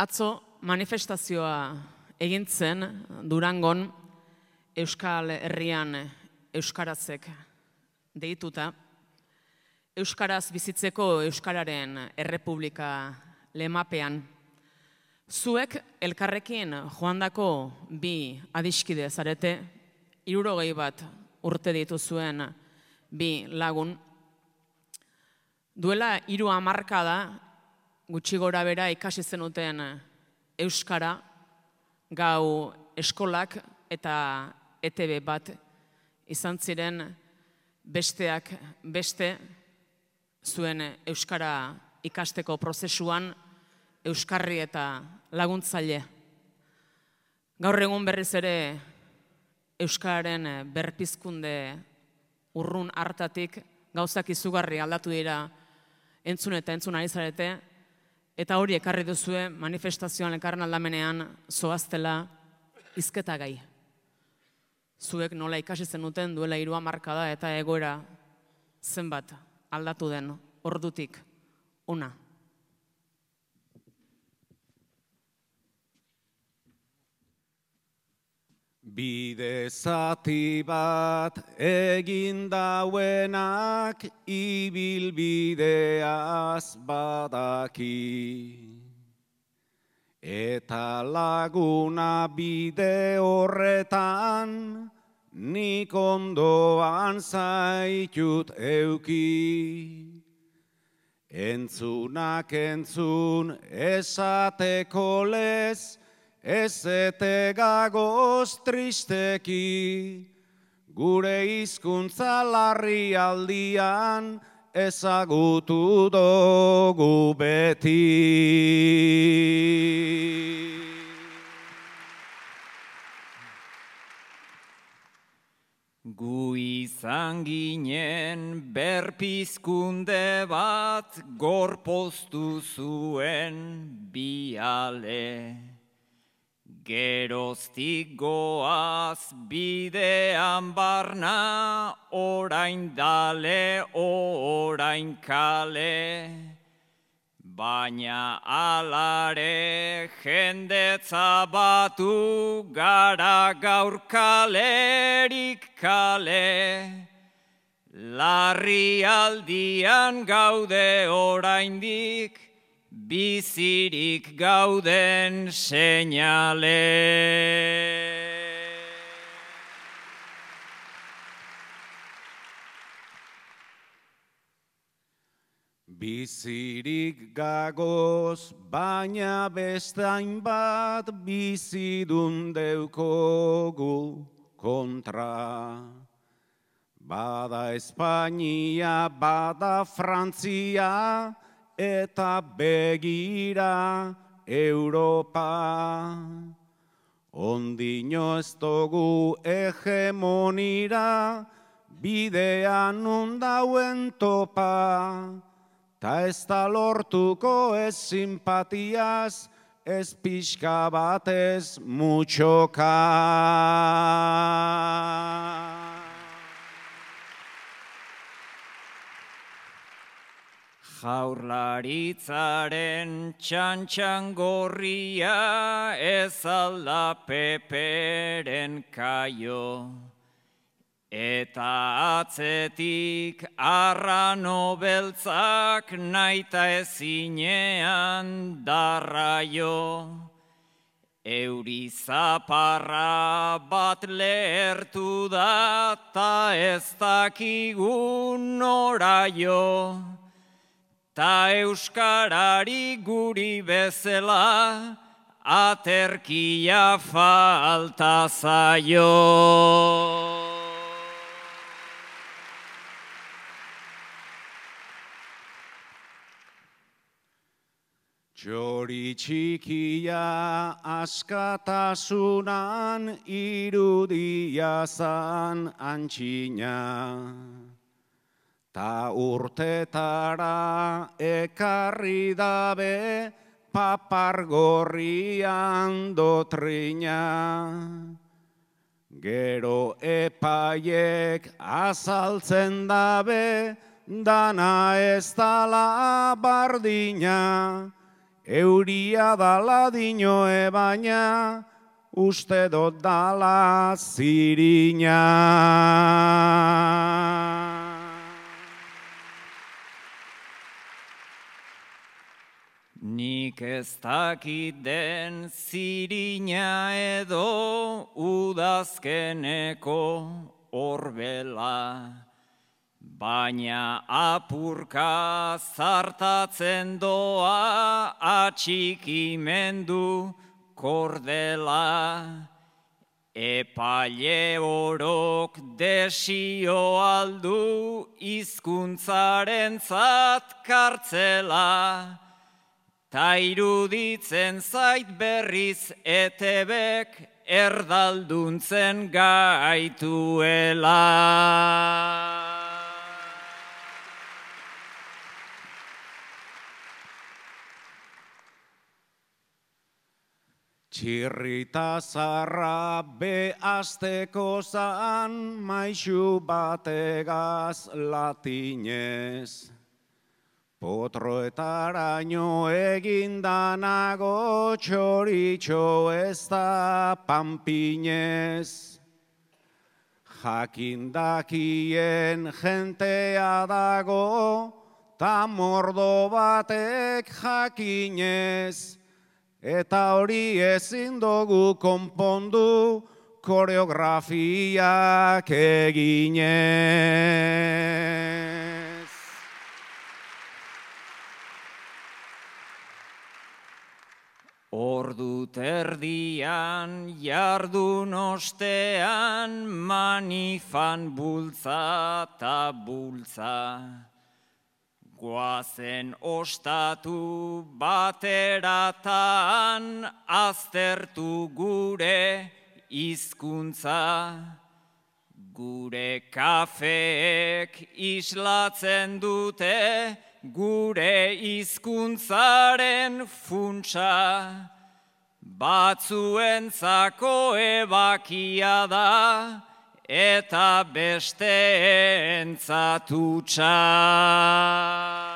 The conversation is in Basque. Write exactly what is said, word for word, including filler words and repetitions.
Atzo manifestazioa egin zen Durangon Euskal Herrian euskarazek deituta, euskaraz bizitzeko Euskararen Errepublika lemapean. Zuek elkarrekin joandako bi adiskide zarete, hirurogei bat urte dituzuen bi lagun. Duela hiru hamarkada gutxi gora bera ikasi zenuten euskara, gau eskolak eta E T B bat izan ziren besteak beste zuen euskara ikasteko prozesuan euskarri eta laguntzaile. Gaur egun berriz ere euskararen berpizkunde urrun hartatik gauzak izugarri aldatu dira entzun eta entzun ari zarete, eta hori ekarri duzue manifestazioan elkarren aldamenean zoaztela hizketa gai. Zuek nola ikasi zenuten duela hiru hamarkada eta egoera zenbat aldatu den ordutik una. Bide zati bat egin dauenak ibilbideaz badaki. Eta laguna bide horretan nik ondoan zaitut euki. Entzunak entzun esateko lez, ez ete gagoz tristeki, gure hizkuntza larrialdian ezagutu dugu beti. Gu izan ginen berpizkunde bat gorpoztu zuen biale. Geroztik goaz bidean barna, orain dale, orain kale. Baina alare jendetza batu gara gaur kalerik kale. Larrialdian gaude oraindik, bizirik gauden seinale. Bizirik gagoz, baina beste hainbat bizidun deukogu kontra. Bada Espainia, bada Frantzia, eta begira Europa. Ondino ez dugu hegemonira, bidean undauen topa. Ta ez da lortuko ez simpatiaz, ez pixka batez mutxoka. Jaurlaritzaren txantxangorria ez alda peperen kaio. Eta atzetik arrano beltzak naita ezinean darraio. Euri zaparra bat lehertu da ta ez dakigun noraio. Ta euskarari guri bezala aterkia falta zaio. Txori txikia askatasunan irudia zan antxina. Ta urtetara ekarri dabe papar gorrian dotrina. Gero epaiek azaltzen dabe dana ez dala bardina. euria dala dinoe baina, uste dot dala zirina. Nik ez dakit den zirina edo udazkeneko orbela, baina apurka zartatzen doa atxikimendu kordela. Epaile orok desio aldu hizkuntzarentzat kartzela, ta iruditzen zait berriz E T Bk erdalduntzen gaituela. Txirrita zarra be azteko zan maixu bategaz latinez. Potroetaraino egindanago txoritxo ez da panpinez. Jakindakien jentea dago, ta mordo batek jakinez. Eta hori ezin dugu konpondu koreografiak eginez. Ordu terdian jardun ostean manifan bultza ta bultza. Goazen ostatu bateratan aztertu gure hizkuntza. Gure kafeek islatzen dute gure hizkuntzaren funtsa. Batzuentzako ebakia da eta besteentzat hutsa.